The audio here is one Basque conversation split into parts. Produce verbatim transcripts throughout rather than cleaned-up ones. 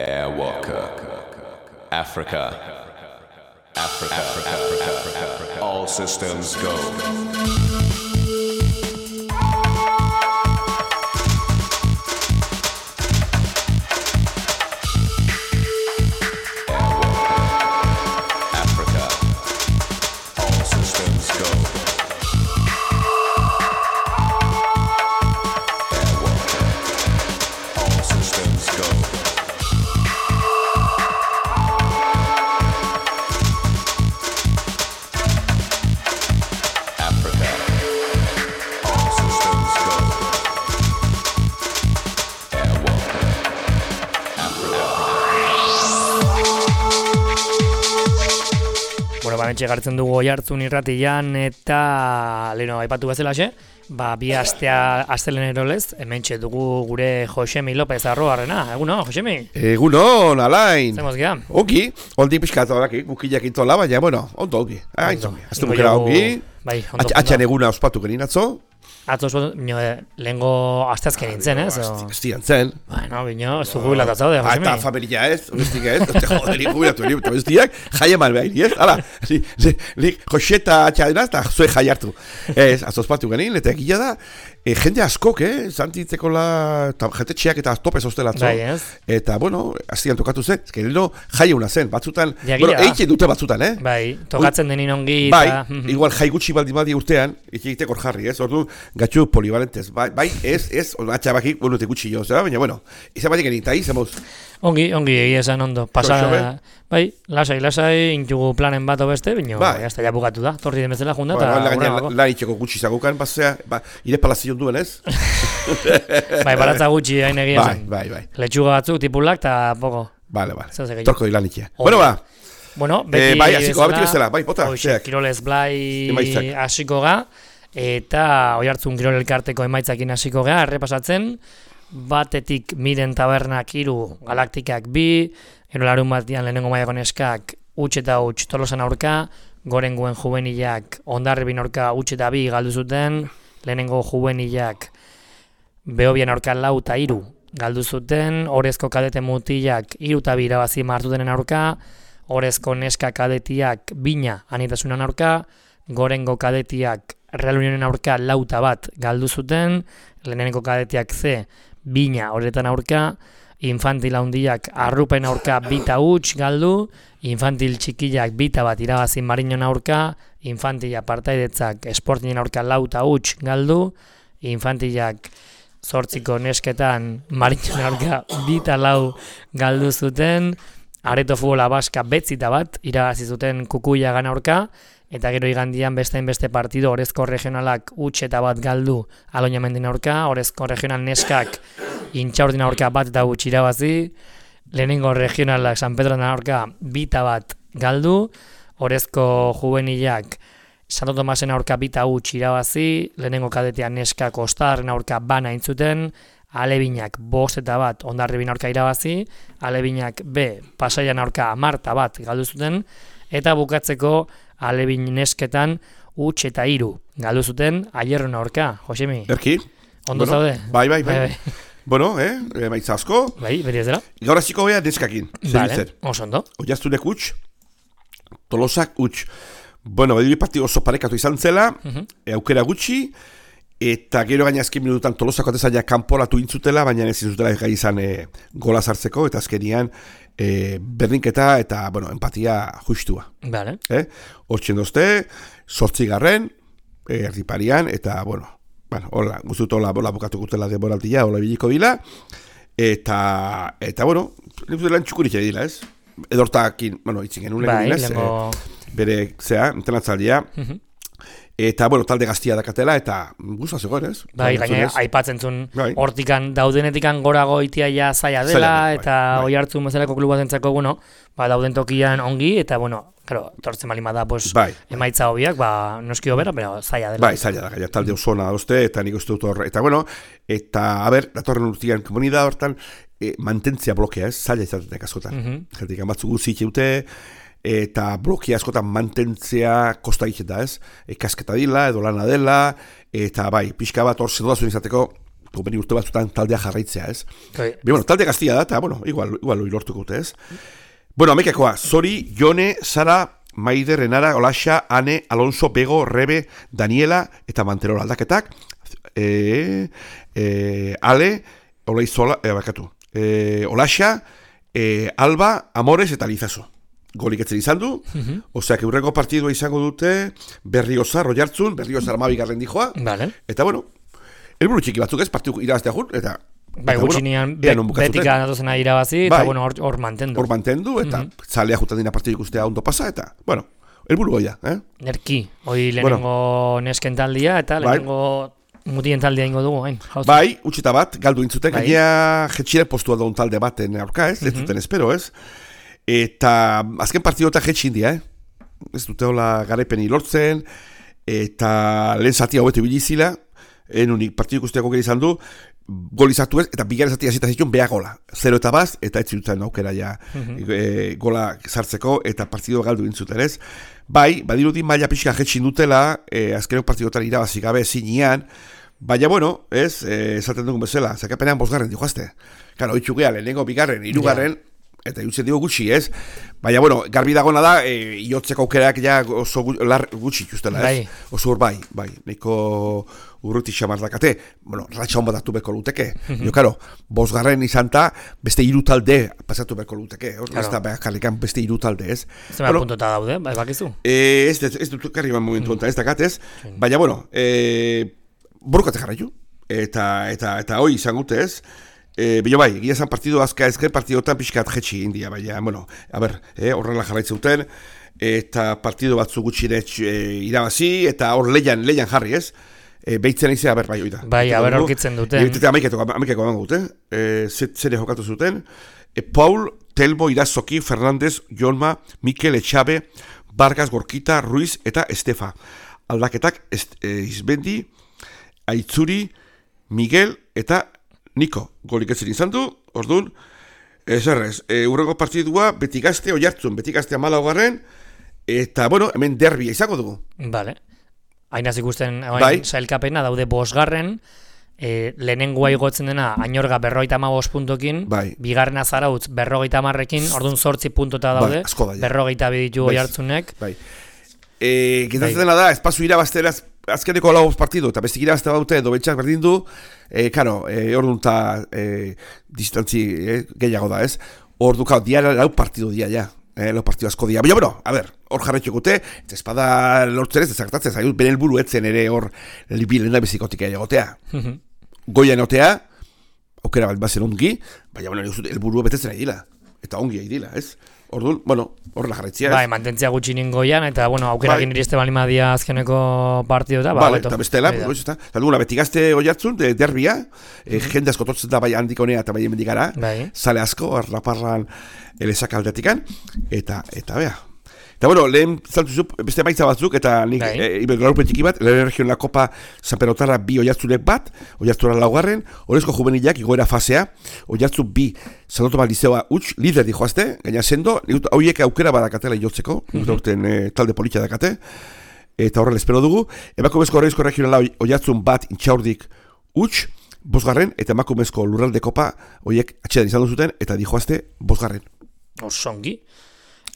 Airwalker. Africa. Africa. Africa. Africa. Africa. All systems go. Gartzen dugu Oihartzun irratian eta leheno aipatu bezalaxe, ba, bi astea astelehenero lez, hementxe dugu gure Josemi López Arroarrena. Eguno, Josemi? Egunon, Alain. Zemoz gira? Ongi, oldi pixkatu horaki, gukilak intola, baina, bueno, ondo, ongi. Aztu bukera ongi, atxan eguna ospatu genin atzo. Atzo oso, lehenko asteazken nintzen, ez? Estian zen. Bueno, bino, ez du jubilataz zaude, Josemi. Eta familia ez, bestik ez, joder, jubilatu egin, eta bestiak, jaia mal behar, ez? Hala, Joseta atxadena, eta zue jai hartu. Ez, atzo ospatu genin, eta egia da, jende askok, eh? Zantitzeko la, jente txiak eta topez ostela atzo. Bai, ez? Eta, bueno, astian tokatu zen, ez gerino jai una zen, batzutan, bueno, eitzen dute batzutan, eh? Bai, tokatzen denin ongi. Bai, igual jai gutxi baldin badi urtean, egiteko jarri, ez? Ordu, gatxu polivalentez, bai, bai, ez, ez, atxabakik, bueno, te gutxi jo, zera, baina, bueno, izan batik enin, eta izamuz. Ongi, ongi, egia esan ondo, pasa, bai, lasai, lasai, intugu planen bat obeste, bino, bai, hasta ja bukatu da, torri demezela junda, eta bai, gure lan itxeko gutxi zagukan, basea, ba, ire palazion duen, ez? Bai, baratza gutxi, hain egia esan. Bai, bai, bai. Letxuga batzuk, tipulak, eta poko. Bale, bale, torko di lan itxea. Bueno, ba. Bueno, beti bai, hasiko, beti bezala, bai, pota. Kirolez Blai hasiko ga, eta Oihartzun Kirol Elkarteko emaitzakin hasiko ga, errepasatzen, batetik Miren Tabernak hiru, Galaktikak bi, ero larun batian lehenengo mailako neskak huts eta huts Tolosan aurka, Gorenguen juvenilak Hondarribin aurka huts eta bi galdu zuten, lehenengo juvenilak Behobian aurka lau eta hiru galdu zuten, Orezko kadete mutilak hiru eta bi irabazi martutenen aurka, Orezko neska kadetiak Bina anitasunan aurka, Gorengo kadetiak Real Unionen aurka lau eta bat galdu zuten, lehenengo kadetiak ze Bina horretan aurka, infantil handiak Arrupen aurka bita huts galdu, infantil txikiak bita bat irabazi Mariñon aurka, infantila partaidetzak Sportingen aurka lau eta huts galdu, infantilak zortziko nesketan Mariñon aurka bita lau galdu zuten, Areto Futbola Baska betzita bat irabazi zuten Kukuia gana aurka, eta gero igandian beste beste partido Orezko regionalak huts eta bat galdu Aloñamendin aurka, Orezko regional neskak Intxaurdin aurka bat eta huts irabazi, lehenengo regionalak San Pedroren aurka bita bat galdu, Orezko juvenilak Santo Tomasen aurka bita huts irabazi, lehenengo kadetean neskak Ostarren aurka bana intzuten, Alebinak bost eta bat Hondarribin aurka irabazi, Alebinak B Pasaian aurka hamarta bat galdu zuten, eta bukatzeko Alebin nesketan huts eta hiru galdu zuten Aierron aurka, Josemi. Erki? Ondo bueno, zaude? Bai, bai, bai. bai, bai. Bueno, eh, emaitza asko. Bai, beti ez dela. Gaur hasiko gea neskakin. Vale, oso ondo. Oihartzunek huts, Tolosak huts. Bueno, bedi partido oso parekatu izan zela, uh-huh. e, aukera gutxi, eta gero gaina azken minututan Tolosako atezaila kanporatu intzutela, baina ez izutela gai izan e, gola sartzeko, eta azkenian e, berdinketa eta, bueno, empatia justua. Vale. Eh? Hortxen dozte, sortzigarren, e, erdiparian, eta, bueno, bueno, hola, guztut hola, hola bukatu gutela demoraltia, hola biliko dila, eta, eta, bueno, lan txukurik dila, ez? Edortakin, bueno, itzin genuen bai, legin, ez? Lengo... E, bere, zea, entenatzaldia, uh-huh. Eta, bueno, talde gaztia dakatela, eta guztua zegoen, ez? Bai, gaina, aipatzen zuen, hortikan, daudenetikan gorago itia ja zaila dela, bai, eta bai. Oihartzun bezalako klubu batentzako, bueno, ba, dauden tokian ongi, eta, bueno, claro, tortzen malima da, pues, bai. Emaitza hobiak, ba, noski hobera, pero zaila dela. Bai, zaila da, gaina, talde osona dozte, eta nik uste dut horre, eta, bueno, eta, a ber, datorren urtian komunidad hortan, e, mantentzia blokea, ez? Zaila izatetek askotan. Uh-huh. Jertik, batzu guzi itxeute, eta blokia askotan mantentzea kosta egiten da, ez? Ikasketa dila, edo lana dela, eta bai, pixka bat hor zedodazun izateko Gomeni urte batzutan taldea jarraitzea, ez? Okay. Be, bueno, talde gaztia da, eta, bueno, igual, igual lortuko dute, ez? Bueno, amekakoa, Zori, Jone, Sara, Maider, Renara, Olaxa, Ane, Alonso, Bego, Rebe, Daniela, eta Manterola aldaketak, e, e, Ale, Olaizola, e, bakatu, e, Olaxa, e, Alba, Amores, eta Lizaso. Golik etzen izan du, uh-huh. Oseak eurreko partidua izango dute Berriozar, Roiartzun, Berriozar amabigarren dijoa, vale. Eta bueno, elburu txiki batzuk ez, partidu irabaztea jun, eta bai, gutxinean bueno, betik anatozena irabazi, eta bai, bueno, hor, hor mantendu. Hor mantendu, eta uh-huh. Zalea jutan dina partidu ikustea ondo pasa, eta, bueno, elburu goia, eh? Nerki, hoi lehenengo bueno. Nesken taldia, eta lehenengo bai. Mutien taldea ingo dugu, hain. Bai, utxita bat, galdu intzuten, bai. Gainea jetxire postua daun talde baten aurka, ez, uh-huh. Ez duten espero, ez? Eta azken partidota jetxin dia, eh? Ez dute hola garaipeni lortzen, eta lehen zatia hobetu bilizila, en unik partidu ikusteako gero izan du, gol izatu ez, eta bigarren zatia zita zituen beha gola. Zero eta baz, eta ez zirutzen aukera ja uh-huh. e, gola sartzeko, eta partidua galdu intzuten ez. Bai, badirudi maila pixka jetxin dutela, e, azkeneko partidotan irabazi gabe zinean, baina bueno, ez, e, esaten dugun bezala, zakapenean bosgarren dijoazte. Karo, itxugea, lehenengo, bigarren, hirugarren, yeah. Eta irutzen digo gutxi, ez? Baina, bueno, garbi dagona da, e, iotzeko aukerak ja oso gutxi ikustela, ez? Bai. Oso hor bai, bai, nahiko urruti xamar dakate, bueno, ratxa hon bat hartu beko luteke. Mm-hmm. Jo, karo, bosgarren izan ta, beste hiru talde pasatu beko luteke, hor, claro. Ez da, behar karrikan beste hiru talde, ez? Zer bueno, puntota daude, bai, bakizu? E, ez, ez, ez dut karri ban momentu onta, ez dakat, ez? Sí. Baina, bueno, e, borukate jarraitu, eta, eta, eta hoi izan gute, ez? E, Bilo bai, egia zan partidu azka ezker partidotan pixkat jetxi india, baina, bueno, a ber, eh, horrela jarraitzen duten, eta partidu batzu gutxire e, irabazi, eta hor leian, leian jarri, ez? E, Beitzen izan, a ber, bai, oida. Bai, a ber, horkitzen duten. Eta amaikeko emango duten, e, zere jokatu zuten, e, Paul, Telmo, Irazoki, Fernandez, Jolma, Mikel, Etxabe, Vargas, Gorkita, Ruiz, eta Estefa. Aldaketak, est, e, Izbendi, Aitzuri, Miguel, eta Niko, golik etzen izan du, orduan, ez errez, e, urrengo partidua beti gazte oiartzun, beti gazte amala hogarren, eta, bueno, hemen derbia izango dugu. Vale. Hainaz ikusten, bai. Sailkapena daude bosgarren, e, lehenengoa igotzen dena, Añorga berrogeita hamabost puntokin, bai. Bigarrena Zarautz berrogeita hamarrekin, orduan zortzi puntota daude, bai, berrogeita biditu oiartzunek. Bai. E, Getatzen bai. Dena da, espazu irabazteraz, azkeneko lau partidu, eta bestik irabazte baute, edo betxak berdin du, e, karo, e, orduan eta e, distantzi e, gehiago da, ez? Ordu, kao, diara lau partidu dia, ja. E, lau partidu asko dia. Baina, bueno, a ber, hor jarretxokute, ez espada lortzen ez, ezartatzen, zaitu, beren helburu etzen ere hor libilen da bezikotik egotea. Goian otea, aukera bat bazen ongi, baina, bueno, helburu betetzen ari dila. Eta ongi ari dila, ez? Orduan, bueno, horrela jarretzia. Bai, mantentzia gutxi ningoian, eta, bueno, aukera egin bai. Iriste bali madia azkeneko partidu eta, ba, vale, eta bestela, pues, eta, eta duguna, beti gazte oiartzun, de, derbia, mm-hmm. eh, jende asko tortzen da bai handik honea eta bai emendikara, bai. Zale asko, arraparran elezak aldetikan, eta, eta, bea. Eta, bueno, lehen zaltu zu, beste maitza batzuk, eta nik, bai. e, ibergarupen txiki bat, lehen region la Kopa San Perotarra bi oiartzunek bat, oiartzura laugarren, horrezko juvenilak igoera fasea, oiartzu bi, Sanoto Maldizeoa utx, lider di joazte, gaina sendo, hauiek aukera badakatela jotzeko, mm-hmm. urten e, talde politxa dakate, eta horrela espero dugu, emakumezko horrezko regionala oiartzun bat intxaurdik utx, bosgarren, eta emakumezko lurralde kopa, horiek atxedan izan duzuten, eta di joazte bosgarren. Osongi.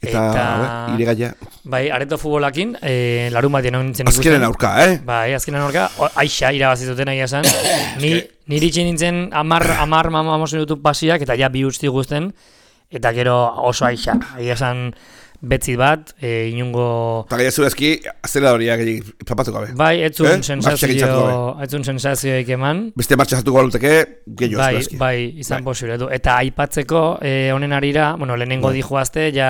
Eta, eta iregaia. Bai, areto futbolakin, e, larun bat denon nintzen ikusten. Azkenen aurka, eh? Bai, azkenen aurka, aixa irabazituten nahi esan. Ni, niri itxin nintzen amar, amar mamamosen YouTube pasiak, eta ja bi usti guzten, eta gero oso aixa. Ahi esan betzi bat, e, inungo... Eta gaia zurazki, azela horiak zapatuko gabe. Bai, etzun eh? sensazio, etzun sensazioik eman. Beste martxa zatuko baluteke, gehiago bai, zurazki. Bai, izan bai. Posible du. Eta aipatzeko, e, honen arira, bueno, lehenengo bai. Dijoazte, ja...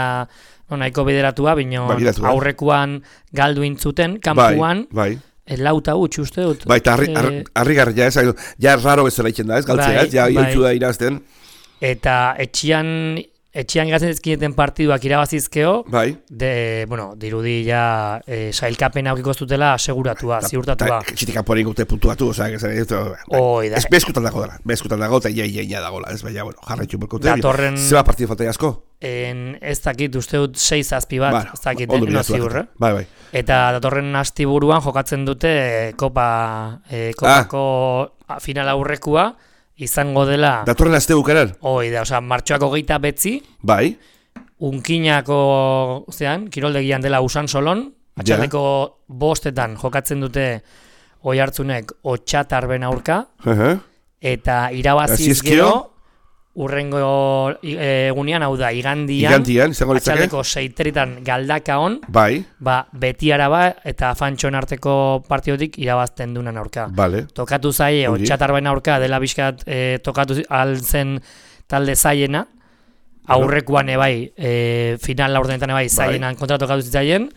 No, nahiko bideratua, bino bai, aurrekoan galdu intzuten, kanpuan, bai, bai. Lauta utx uste dut. Bai, eta harri, harri, harri garri, ja, ez, ja raro bezala itzen da, ez, galtzea, bai, ez, ja, bai. Bai. Da irazten. Eta etxian, etxian gazetzkideten partiduak irabazizkeo, bai. De, bueno, dirudi ja e, sailkapen aukiko zutela aseguratua, ta, ziurtatua. Ta, txitik kanpoan ingute puntuatu, oza, ez, ez, oi, da. Ez bezkutan dago dara, bezkutan dago, eta ia, ia, ia dagoela, ez, baina, bueno, jarraitxu berkote. Datorren... Zeba partidu falta asko? En, ez dakit, uste dut sei zazpi bat, bueno, ez dakit, no ziur, eh? Bai, bai. Eta datorren astiburuan jokatzen dute Kopa, eh, Kopako final aurrekua izango dela... Datorren aste bukaran? Hoi da, oza, martxoako geita betzi. Bai. Unkinako, zean, kiroldegian dela Usansolon, atxaldeko bostetan jokatzen dute Oiartzunek Otxatarben aurka, uh-huh. eta irabaziz gero, urrengo egunean, hau da, igandian, igandian atxaldeko seiteritan Galdakaon, bai. ba, Betiaraba eta Fantxon arteko partiotik irabazten dunan aurka. Vale. Tokatu zaie, Otxatarben aurka, dela bizkat e, tokatu altzen talde zaiena, aurrekuan ebai, e, final laurdenetan ebai, zaienan kontra tokatu zitzaien,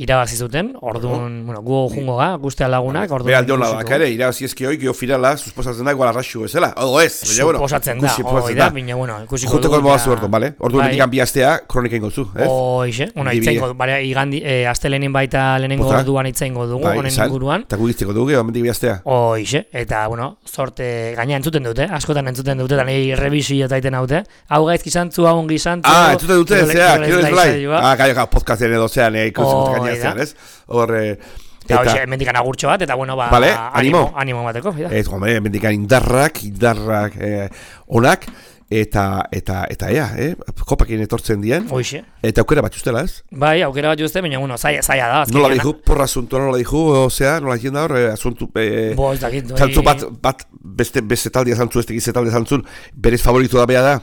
irabazi zuten, orduan, bueno, gu jungo ga, guztia lagunak, orduan... Beha aldeon ladak ere, irabazi ezki hoi, gio finala, susposatzen da, igual arraxu ezela, odo ez, susposatzen da, hoi da, bine, bueno, ikusiko dugu... Juteko mogazu orduan, bale? Orduan bai. Digan bi astea, kronika ingo zu, ez? Hoixe, bueno, itzaingo, bale, igandi, e, aste lehenin baita lehenengo orduan itzaingo dugu, bai, honen inguruan. Eta gugizteko dugu, omendik bi astea. Hoixe, eta, bueno, sorte, gaina entzuten dute, askotan entzuten dute, eta nahi revisio taiten haute. Hau gaizki zantzu, hau ongi zantzu... Ah, entzuten dute, zea, kiro ez blai. Ah, gai, gai, podcasten edo zean, ikusten gaina ez? Hor, eta hoxe, mendikan agurtxo bat, eta bueno, ba, vale, animo, animo bateko. Ez, gombe, mendikan indarrak, indarrak eh, onak, eta, eta, eta ea, eh, kopakin etortzen dien. Hoxe. Eta aukera bat justela, ez? Bai, aukera bat juste, baina, bueno, zaila, zaila da. Nola dihu, porra asuntua nola dihu, osea, nola dihu da hor, asuntu, eh, Bo, ez dakit, zantzu bat, bat, beste, beste taldia zantzu, ez tegize taldia zantzun, berez favoritu da bea da.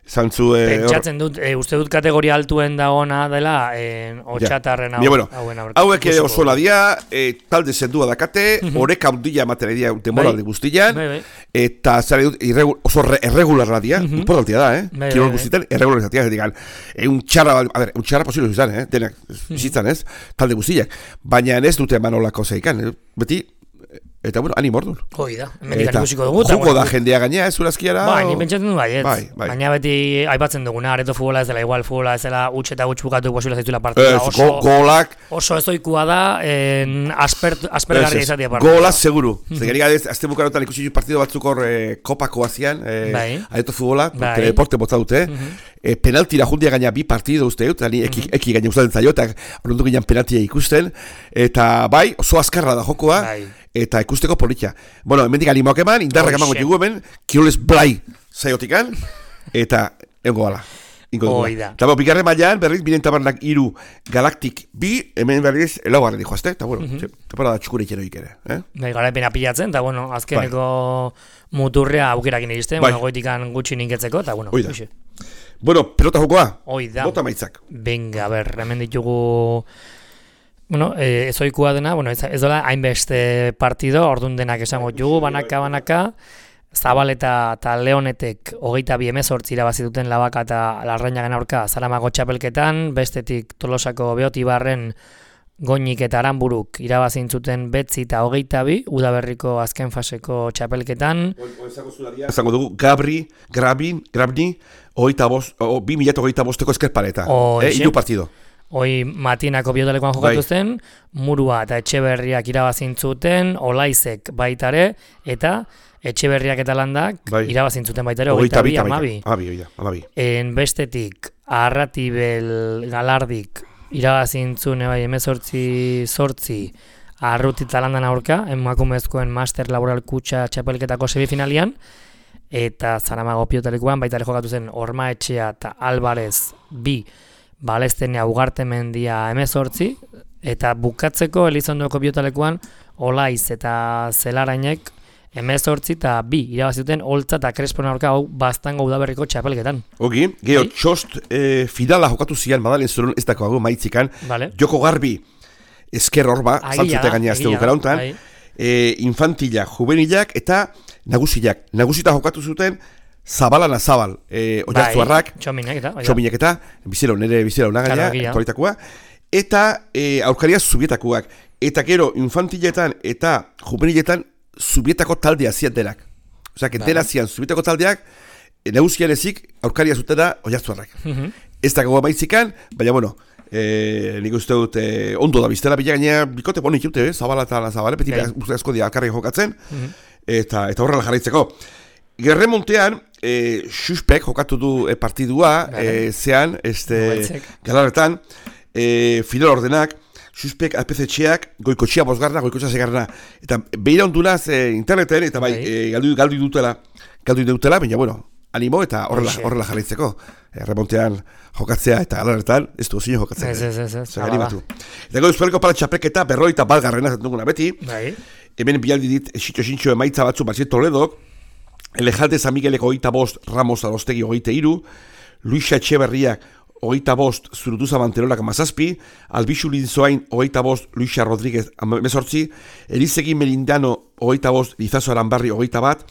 Zantzu, eh, pentsatzen dut, e, uste dut kategoria altuen dagoena dela eh, Otxatarren hau, ja, bueno, hauen aurka. Hauek ere oso ladia, eh, talde zendua dakate, horeka hundila ematen edia temoralde guztian, bai, bai. Eta zare dut, irregu, oso re, erregularra dia, uh-huh. Importantia da, eh? Bai, kirol guztietan, erregularizazioa, ez digan, un txarra, a ver, un txarra posible izan, eh? Denak, zitzan, ez? Talde guztiak, baina ez dute manolako zeikan, eh? Beti, eta bueno, animo orduan. Hoi da, hemendik ikusiko dugu. Joko da jendea gainea, ez urazkiara? Bai, ni pentsatzen du bai, ez. Bai, bai. Baina beti aipatzen duguna, areto futbola ez dela igual, futbola ez dela utxe eta gutx bukatu posibila zaitula partida. Ez, oso, golak... Oso ezoikua da, en, asper, aspergarria izatea partida. Golak seguru. Mm-hmm. Zegeri gadez, azte bukarotan ikusi partido batzuk hor eh, kopako azian, eh, bai. Areto futbola, bai. Teledeporte botza dute, mm-hmm. eh, penaltira jundia gaina bi partido uste dut, ani eki, mm-hmm. eki gaina usaten zaio, eta ordu ginen penaltia ikusten, eta bai, oso azkarra da jokoa, bai. Eta ikusteko politia. Bueno, hemendik animoak eman, indarrak emango txugu hemen, kiroles blai zaiotikan, eta egongo gala. Oida. Eta bigarren mailan berriz, biren tabarnak iru galaktik bi, hemen berriz, elaugarren dijo azte, eta bueno, mm-hmm. Tepara da txukure itxero ikere. Eh? Bai, garaipena pilatzen, eta bueno, azkeneko bai. Muturrea aukerakin iristen, bai. Bueno, goitikan gutxi ninketzeko, eta bueno. Oida. Bueno, pelota jokoa. Oida. Bota maitzak. Venga, ber, hemen ditugu... Bueno, eh, ez oikua dena, bueno, ez, ez dola hainbeste partido, ordun denak esango jugu, banaka, banaka, Zabaleta eta Leonetek hogeita bi hemezortzi irabazi duten Labaka eta Larrañagen aurka Zaramago txapelketan, bestetik Tolosako Beotibarren Goñik eta Aranburuk irabazi zuten betzi eta hogeita bi, Udaberriko azken faseko txapelketan. Ezango dugu, Gabri, Grabin, Grabni, hogeita bost, o, bi mila hogeita bosteko eskerpareta, eh, hiru partido. Hoi Matinako biotelekoan jokatu zen, Murua eta Etxeberriak irabazin zuten, Olaizek baitare, eta Etxeberriak eta Landak bai. Irabazin zuten baitare, hogeita bi, amabi. Amabi, En bestetik, Arratibel Galardik irabazin zuen, bai, emezortzi sortzi, Arruti eta Landan aurka, emakumezkoen Master Laboral Kutxa txapelketako semifinalian, eta Zaramago biotelekoan baitare jokatu zen, Ormaetxea eta Alvarez bi, Balestenia Ugartemendia hemezortzi, eta bukatzeko Elizondoko biotalekoan Olaiz eta Zelarainek hemezortzi eta bi irabaziten Oltza eta Crespon aurka hau Baztango Udaberriko txapelketan. Ogi, geho, txost e, finala jokatu zian Madalen Zorun ez dako hagu maitzikan, vale. Joko Garbi esker horba, zantzute gaina azte dukara honetan, e, infantila, juvenilak eta nagusilak. Nagusita jokatu zuten Zabalana Zabal, eh, oiartzuarrak, bai, txominek eta, txominek eta, bizero, nire bizero nagaia, aktualitakoa, eta eh, aurkaria zubietakoak. Eta gero, infantiletan eta juveniletan zubietako taldea zian denak. Osea, que dena zian zubietako taldeak, e, nagusian ezik, aurkaria zutena oiartzuarrak. Uh-huh. Ez dago maitzikan, baina, bueno, eh, nik uste dut, eh, ondo da biztela, bila gaina, bikote bonik jute, eh, Zabala eta Zabale, beti okay. Asko dia alkarri jokatzen, uh-huh. eta, eta horrela jarraitzeko. Gerremontean, e, Xuspek jokatu du e, partidua, e, zean, este, galarretan, e, final ordenak, Suspek A P C txeak, goikotxea bosgarna, goikotxea segarna. Eta behira ondunaz e, interneten, eta bai, e, galdu, galdu dutela, galdu dutela, baina, bueno, animo eta horrela, horrela jarraitzeko. E, remontean jokatzea eta alarretan, ez du zine jokatzea. Ez, ez, ez, ez. Zer animatu. Eta gau Euskal Kopala txapelketa berroita bat garrena zetuguna beti. Bai. Hemen bialdi dit, esitxo-esitxo emaitza batzu Batziet Toledok, Elejalde San Migueleko hogeita bost, Ramos Adostegi hogeita iru, Luisa Etxeberriak hogeita bost, Zurutuza Manterolak amazazpi, Albizu Linzoain hogeita bost, Luisa Rodríguez amezortzi, Erizegi Melindano hogeita bost, Lizazo Aranbarri hogeita bat,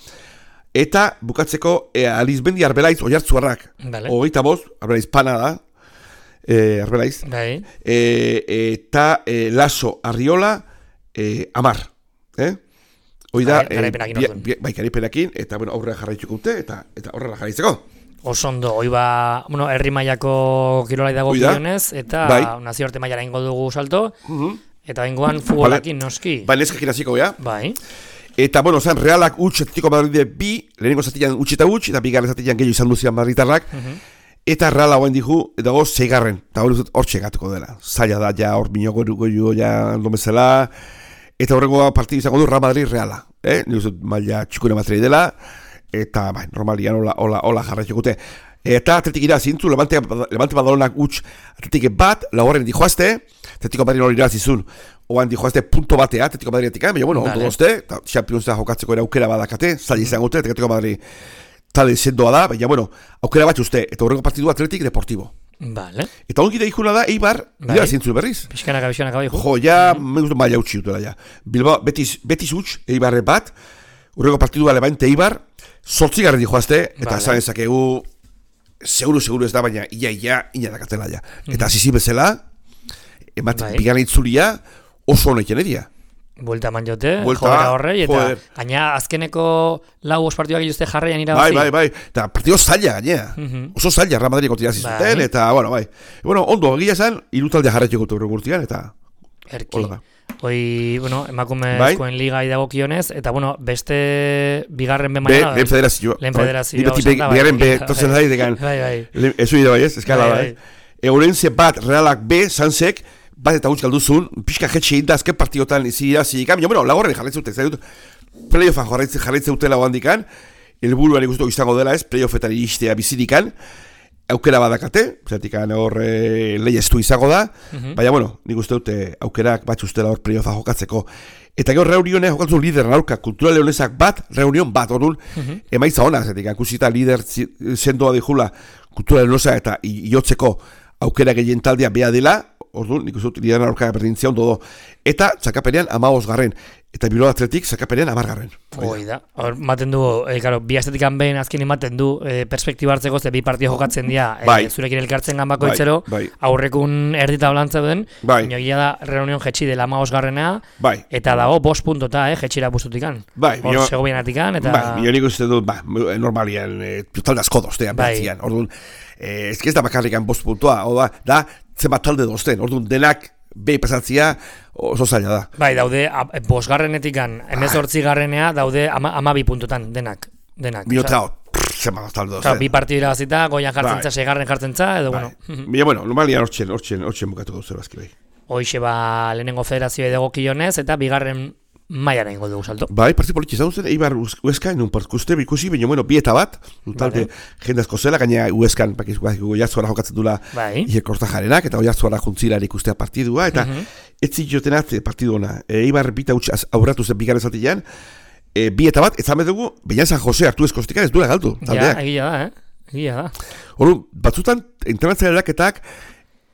eta bukatzeko e, Alizbendi Arbelaiz Oiartzuarrak vale. hogeita bost, Arbelaiz pana da, e, Arbelaiz, bai. e, eta e, Laso Arriola e, Amar, eh? Hoi da, garapenakin e, bi, bai, garapenakin, eta bueno, aurrera jarraituko dute, eta, eta aurrera jarraitzeko. Osondo, hoi ba, bueno, herri mailako kirolai dago gionez, eta bai. nazioarte mailara ingo dugu salto, Uh-huh. eta bengoan futbolakin noski. Bai, neskakin hasiko gea. Bai. Eta, bueno, zan, Realak utx, Atletico Madride bi, lehenengo zatian utx eta utx, eta bigarren zatian gehiago izan duzian Madritarrak, uh-huh. Eta Reala hoen dihu, dago zeigarren, eta hori hor txegatuko dela. Zaila da, ja, hor minoko goio, ja, ondomezela, eta horrengo partidu izango du Real Madrid Reala, eh? Nik uste maila txikune matrei dela, eta bai, normalian hola, hola, hola jarraitxokute. Eta Atletik ira zintzu, Levante, Levante Badalonak utx Atletik bat, laugarren dijoazte, Atletico Madrid hori irazizun, oan dijoazte punto batea, Atletico Madridetik, baina bueno, ondo dozte, eta Championsa jokatzeko era aukera badakate, zaila izango dute, Atletico Madrid tale sendoa da, baina bueno, aukera bat uste, eta horrengo partidu Atletik Deportivo. Vale. Eta ongi da ikuna da, Eibar, bai. Ira zintzu berriz. Pixkanaka, pixkanaka bai. Jo, ja, mm. me gustu maila utxi dutela, ja. Bilbao, betis, betis utx, Eibarre bat, urrego partidua Levante Eibar, sortzigarren dijoazte, eta vale. Zan ezakegu, seguru, seguru ez da, baina ia, ia, ina dakatela, ja. Eta mm. zizi bezala, emat, bai. Bigarren itzulia, oso honekin edia. Buelta eman jote, joera horrei, eta joder. Gaina azkeneko lau ospartioak iluzte jarraian irabazi. Bai, bai, bai, eta partido zaila gainea, uh-huh. Oso zaila Real Madrid kontirazi zuten, eta, bueno, bai. Bueno, ondo, egia esan, irutaldia jarraitxeko gure gurtian, eta... Erki. Hoi, bueno, emakumezkoen bai? Liga idagokionez, eta, bueno, beste bigarren be maia... Lehen federazio. Lehen federazio. Ni beti bigarren be, torzen zai, degan. Bai, bai. Ezu ida bai ez, eskala bai. Eurenze bat, Realak B, Sansek, bat eta gutx galduzun, pixka jetxe hinda azken partiotan izira zika, baina, bueno, lagorren jarraitzen dute, zai dut, playoffan jarraitzen, jarraitzen dutela handikan, helburuan ikustu izango dela ez, playoffetan iristea bizirikan, aukera badakate, zatikan hor e, leia estu izango da, uh-huh. Baina, bueno, nik uste dute aukerak bat ustela hor playoffa jokatzeko. Eta gero reunionek jokatzen lider naurka, kultura leonesak bat, reunion bat, orduan, uh-huh. Emaitza hona, zatikan, kusita lider sendoa dijula, kultura leonesak eta iotzeko aukera gehien taldea beha dela, orduan, nik uste dut, lideran aurka berdintzia ondo do. Eta, zakapenean, amagoz garren. Eta Bilbao Atletik, zakapenean, amar garren. Hoi da. Hor, maten du, e, karo, bi astetikan behin azken ematen du, e, perspektiba hartzeko, ze bi partio jokatzen dira, bai. e, zurekin elkartzen ganbako itzero, bai, bai. Aurrekun erdita blantza den, bai. Inogia da, reunion jetxi dela amagoz garrena, bai. Eta dago, bost puntota, eh, jetxira bustutikan. Bai. Hor, sego bienatikan, eta... Bai, nio nik uste du, ba, normalian, e, talde asko doztean, bai. Bertzian, orduan, e, ez da bakarrikan bost puntua, oda, da, zenbat talde dozten, orduan, denak, behi pasatzia oso zaila da. Bai, daude, bosgarrenetikan, emezortzi garrenea, daude ama, amabi puntutan, denak. denak. Minuta hor, zenbat talde dozten. Bi partidu irabazita, goian jartzen tza, segarren jartzen tza, edo, bai. Bueno. Bia, bueno, normalian hortxen, hortxen, hortxen bukatu gauzero azki bai. Hoixe ba, lehenengo federazioa edagokionez, eta bigarren maiara ingo dugu salto. Bai, partzi politxe zaun zen, Eibar Ueskan, nun partikuste, bikusi, baina, bueno, bieta bat, talde vale. Jendazko zela, gaina Ueskan, bakiz, goiatzuara jokatzen dula, bai. Ikerkorta jarenak, eta goiatzuara juntzila ikustea partidua, eta uh-huh. Ez zitiotenat partidu ona. E, Eibar bita utx aurratu zen bigarren zatilean, e, bieta bat, ez zamedugu, baina San Jose hartu ezkostika, ez duela galdu. Ja, egia da, eh? Egia da. Hor, batzutan, internatzaileaketak,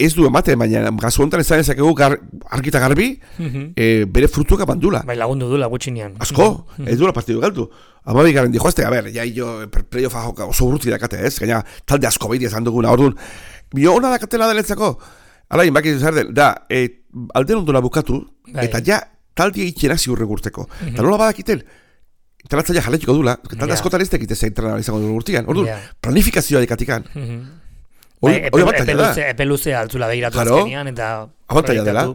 ez du ematen, baina gazu honetan ez ezakegu gar, argita garbi, uh-huh. e, bere frutuak bandula. Bai, lagundu dula gutxinean. Asko, uh-huh. Ez duela partidu galdu. Amabi garen dijoazte, a ber, ja jo playoffa joka oso urruti dakate, ez? Gaina talde asko behitia zan duguna, orduan. Bio hona dakatela denetzako. Alain, baki zer den, da, e, alden ondona bukatu, bai. Eta ja talde egitxena ziurre gurteko. Uh-huh. Eta nola badakiten, internatzaia jaletiko dula, talde yeah. Askotan ez tekite zein izango dugu urtian. Orduan, yeah. Planifikazioa dekatikan. Uh-huh. Bai, epe luzea altzula behiratu azkenian, eta... Abantaila dela,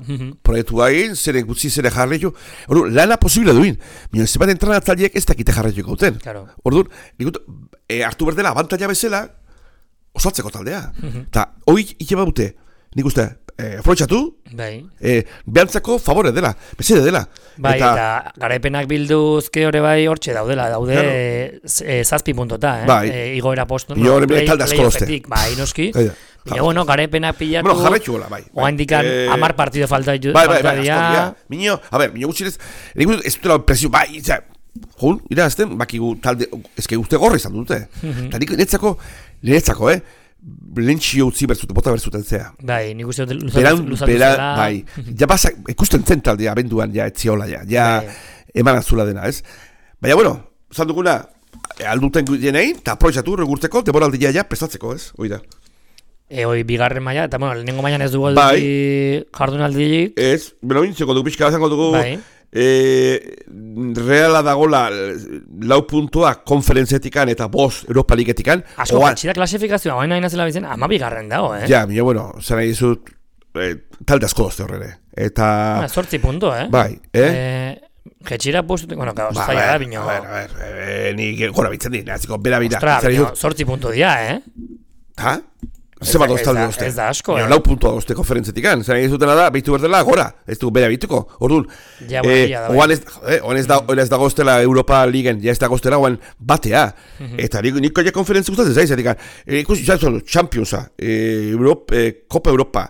proiektu hain, zeren gutzi zere jarretu, orduan, lana posible duin, minun ez bat entrenatzaileek ez dakite jarretu gauten. Orduan, e, hartu berdela abantaila bezala, osatzeko taldea. Eta, hoi ikeba dute, nik uste, eh, aprobetxatu, bai. eh, behantzako favore dela, bezede dela. Bai, eta, eta garaipenak bilduzke hori bai hortxe daudela, daude claro. e, zazpi puntota, eh? Bai. E, igoera postu, no, play, talde asko dozte. Bai, noski. Baina, bueno, garaipenak pilatu, bueno, jarretxu gola, bai. Oa indikan eh, amar partido falta dira. Bai, bai, bai, asko, Miño, a ver, Miño gutxinez, ez dutela presio, bai, itza, jun, irazten, bakigu talde, ezke uste gorri izan dute. Eta nik netzako, netzako, eh? Lentxio utzi berzuten, bota berzuten zea. Bai, nik uste luzatu zela. Bai, ja basak, ikusten zen taldea abenduan, ja, etziola, ja, ja, eman azula dena, ez? Baina, bueno, zan duguna, alduten jenei, eta aproitzatu, regurtzeko, demoraldia ja, prestatzeko, ez? Oida. E, hoi, bigarren maila, eta, bueno, lehenengo mailan ez dugu bai. jardunaldirik. Ez, beno, intzeko dugu, pixka bazango dugu, bai. E, reala dagola lau puntua konferentzetikan eta bost Europa Ligetikan. Asko, jatxida klasifikazioa, baina nahi nazela bizen, ama bigarren dago, eh? Ja, mila, bueno, zara izut, eh, talde asko dozte horrere. Eta... Ah, sortzi punto, eh? Bai, eh? eh Jetxira postu, bueno, claro, ba, zaila da, bino. A ver, a ver, eh, ni gora bitzen di, naziko, bera bira. Ostra, bino, sortzi punto dia, eh? Ha? Zeba doztalde dozte. Ez da asko, eh? Lau puntua dozte konferentzetikan. Zara izutena da, behitu berdela, gora. Ez du bera bituko. Orduan, ja, bueno, eh, oan ez, eh, oan ez da, oan ez da goztela Europa Ligen, ja ez da goztela, oan batea. Eta niko nik ja konferentzia gustatzen zaiz, etik, ikusi, izan Championsa, eh, Europa, eh, Copa Europa,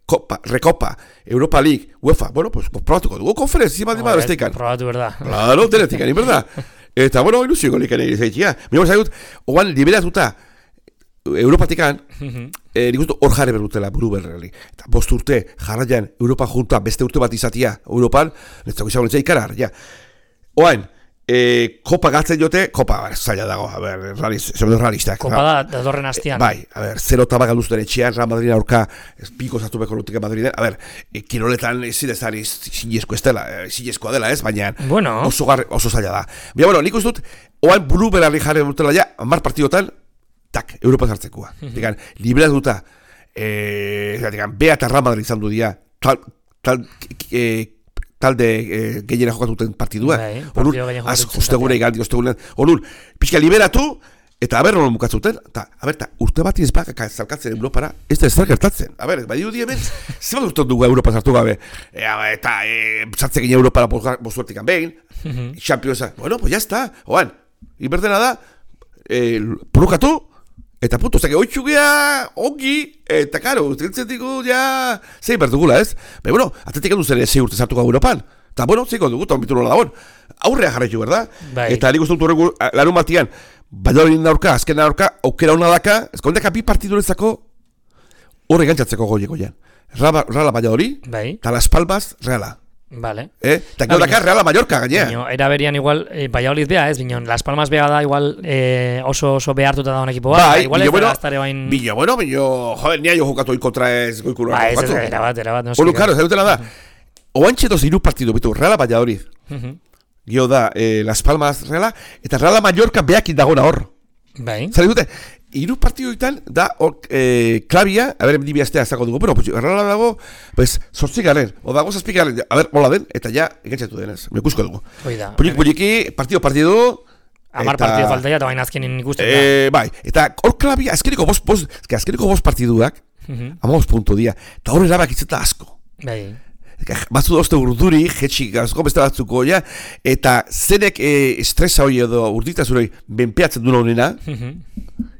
Copa, Recopa, Europa League, UEFA, bueno, pues, probatuko dugu konferentzia, bat dima besteikan. Probatu, berda. Claro, denetik, ani, berda. Eta, bueno, ilusio golik ane izaitia. Mimo zaigut, oan liberatuta, Europatikan, eh, nik uste hor jarri berrutela buru berreli. Eta bost urte jarraian Europa junta beste urte bat izatia Europan, netzako izango netzea ikarar, ja. Oain, eh, kopa gatzen jote, kopa, a ber, zaila dago, a ber, realiz, realistak. Kopa da, dadorren hastian. Bai, a ber, zero taba galduzten etxean, Real Madrid aurka, piko zartu beko lutik Madriden, a ber, e, kiroletan zidezari zinezko ez dela, zinezkoa dela ez, baina bueno. oso, gar, oso zaila da. Bia, bueno, nik uste dut, oain buru berarri jarri berrutela ja, hamar partidotan, tak, Europa zartzekoa. Digan, liberatuta, eh, digan, Bea eta Real Madrid izan du dia, tal, tal, eh, talde eh, gehiena jokatuten partidua. Bai, Orduan, az, ostegure igaldi, ostegure, orduan, pixka liberatu, eta aber nola mukatzuten, eta, aber, eta urte bat izbak zalkatzen Europara, ez da ez da gertatzen. Aber, bai du hemen, zebat urte dugu Europa zartu gabe, e, eta e, zartze gine Europara bozuertikan behin, Championsa, bueno, pues ya está, oan, iberdena da, eh, purukatu, eta puto, zake, oitxu gea, ongi, eta karo, ustentzetiku, ja, zein berdugula, ez? Baina, bueno, atletik handu zen zei urte zartuko Europan. Eta, bueno, zeiko dugu, eta onbitu nola dagoen. Aurrea jarraitu, berda? Bai. Eta nik uste dut horregu, larun batian, Valladolid aurka, azken aurka, aukera hona daka, ezkondeka bi partidurezako horre gantzatzeko goieko jan. Reala Valladolid, bai. eta Las Palmas, Reala. Vale. Eh? Eta gero daka Reala Mallorca, gainea. Bino, era berian igual, eh, Valladolid bea, ez? Bino, Las Palmas bea da igual eh, oso, oso behartuta da un ekipo bat. Bai, igual bino, ez bueno, da gaztare bain... bino, bueno, bino, joder, nia jo jokatu kontra ez goikulu. Ba, ez, ez, era bat, era bat. No Olu, karo, zailutela da. Oantxe doz iru partidu, bitu, Reala Valladolid. Gio da, eh, Las Palmas Reala, eta Reala Mallorca beakin dagona hor. Bai. Zare dute, iru partiduetan da hor eh, klabia, a ber, dibi astea zako dugu, pero, pues, Reala dago, pues, sortzik garen, o dago zazpik garen, a ber, hola den, eta ja, egantzatu denez, mekusko dugu. Oida. Pulik, puliki, partido, partidu, Amar eta... partido falta ja, eta baina azkenin ikusten da. Eh, bai, eta hor klabia, azkeniko bost, bost, azkeniko bost partiduak, uh -huh. ama bost puntu dia, eta hor erabak itzeta asko. Bai. Batzu dauzte urduri, jetxik gazko beste batzuko, ja, eta zenek e, estresa hori edo urditazuroi benpeatzen duen honena,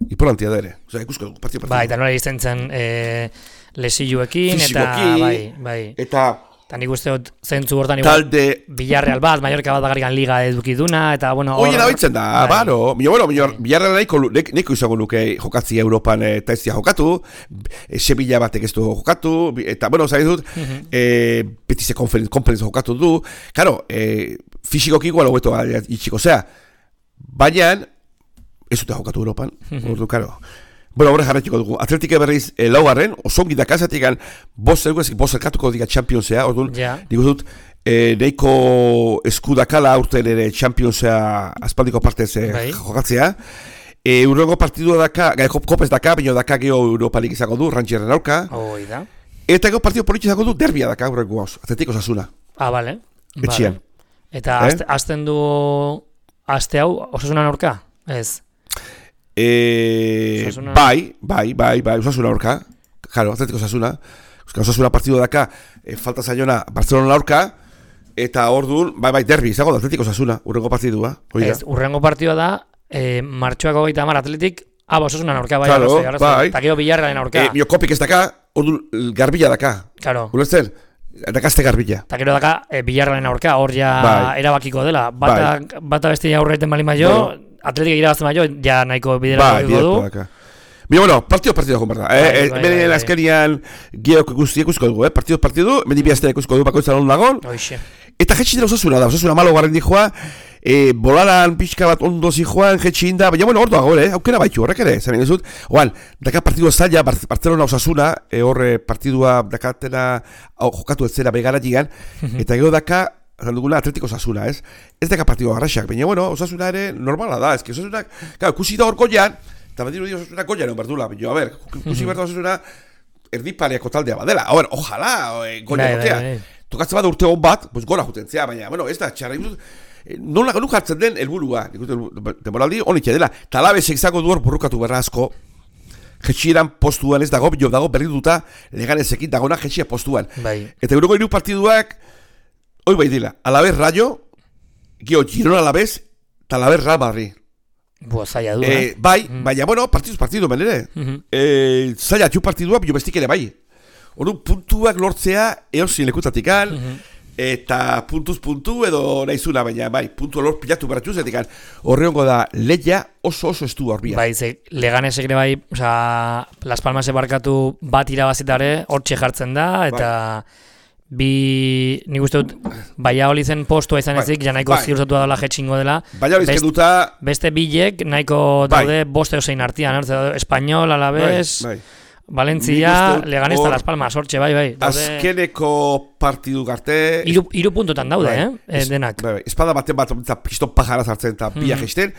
importantia da ere. Osa, ikusko dugu, partio, partio. Bai, eta nola izten eh, lesiluekin, eta bai, bai. Eta... Eta nik uste dut zentzu hortan igual talde... Villarreal bat, Mallorca bat bagarikan liga edukiduna, eta bueno... Oie nabitzen da, bai. Baro, mino, bueno, mino, Villarreal nahiko, neko izango nuke jokatzia Europan eta ez jokatu, Sevilla batek ez du jokatu, eta, bueno, zari dut, uh -huh. e, Betize konferenz jokatu du, karo, e, fisikoki igual hobeto itxiko, zea, baina, ez dute jokatu Europan, uh -huh. Ordu, karo... Bueno, horre jarretiko dugu. Atletike berriz eh, laugarren, osongi da kasatikan bost erguezik, bost erkatuko diga Championsea, orduan, yeah. Digo dut, eh, neiko eskudakala urten ere Championsea aspaldiko partez eh, bai. Jokatzea. Eh, Urrengo partidua daka, gai kopez daka, baina daka geho Europa League izango du, Rangeren aurka. Oi da. Eta gero partidu politxe izango du, derbia daka, urrengo gauz, Atletiko Osasuna. Ah, bale. Etxian. Vale. Eta eh? azten du, aste hau, Osasunan aurka? Ez. Eh, bai, bai, bai, bai, Osasuna aurka, claro, Atlético Osasuna, Osasuna partidu daka, e, falta zaiona Barcelona aurka, eta orduan, bai bai derbi, izango da Atletik Osasuna, urrengo partidua. Ez, urrengo partidua da, e, martxoak hogeita hamar Atletik, aba Osasuna aurka, bai, claro, arrazoi, arrazoi, bai. eta gero Bilarrealen aurka. E, Miokopik ez daka, orduan garbila daka. Claro. Ulertzen? Dakazte garbila. Eta gero daka, e, Bilarrealen aurka, hor ja bai. erabakiko dela. Bata, bai. bata beste aurreiten bali maio, bueno. Atletik irabazten maio, ja nahiko bidera bai, du. Daka. Bino, bueno, partido partido joan berda. Eh, bai, bai, bai, azkenian geok ikusi ikusko dugu, eh? Partido partido, mendi biaztea ikusko dugu bakoitza non dagon. Hoxe. Eta jetxi dela Osasuna da, Osasuna malo garren dijoa, e, bolaran pixka bat ondo zijoan, jetxi inda, baina bueno, orduago, eh? Aukera baitu, horrek ere, zaren dizut. Oan, daka partidu zaila, Barcelona Osasuna, e, horre partidua dakatena jokatu ez zera begara jigan, eta gero daka, zan duguna Atletiko Osasuna, ez? Ez daka partidua garraxak, baina bueno, Osasuna ere normala da, ez que Osasunak, claro, kusi da hor goian, eta bat diru Osasuna goian egon berdula, baina, a ber, kusi berda Osasuna erdipareako taldea badela, a ber, ojalá, goian gotea. Tokatzen bat urte hon bat, pues gora jutentzea, baina, bueno, ez da, txarra imuz, nola ganu jartzen den helburua, demoraldi honitxe dela, talabezek izango duor burrukatu berra asko, jetxieran postuan ez dago, jo dago berri duta, leganezekin dagona jetxia postuan. Bai. Eta euroko hiru partiduak, hoi bai dila, alabez Rayo, gio Girona alabez, eta alabez Real Madrid. Bua, zaila du, eh? Bai, mm. baina, bueno, partiduz partidu menere. Mm -hmm. eh, zaila txu partidua, bio bestik ere bai. Ordu puntuak lortzea eosin lekutatikan, mm -hmm. eta puntuz puntu edo naizuna, baina bai, puntu lor pilatu baratuz, etikan horreongo da leia oso oso estu horbia. Bai, ze Leganesek ere bai, oza, Las Palmasek barkatu bat irabazitare hortxe jartzen da, eta bai. Bi, nik uste dut, Valladolid zen postua izan ezik, bai. Ja nahiko bai. Ziurtatu dela jetxingo dela. Best, duta... Beste bilek nahiko daude bai. Boste osein artian, Espanyol, Alavés... Bai, bai. Valentzia, Leganez eta Las Palmas, hortxe, bai, bai. Daude... Azkeneko partidu garte... Iru, iru puntutan daude, bai. eh? Es, denak. Bai, bai. Espada baten bat, piston pajara zartzen eta hmm. biak esten,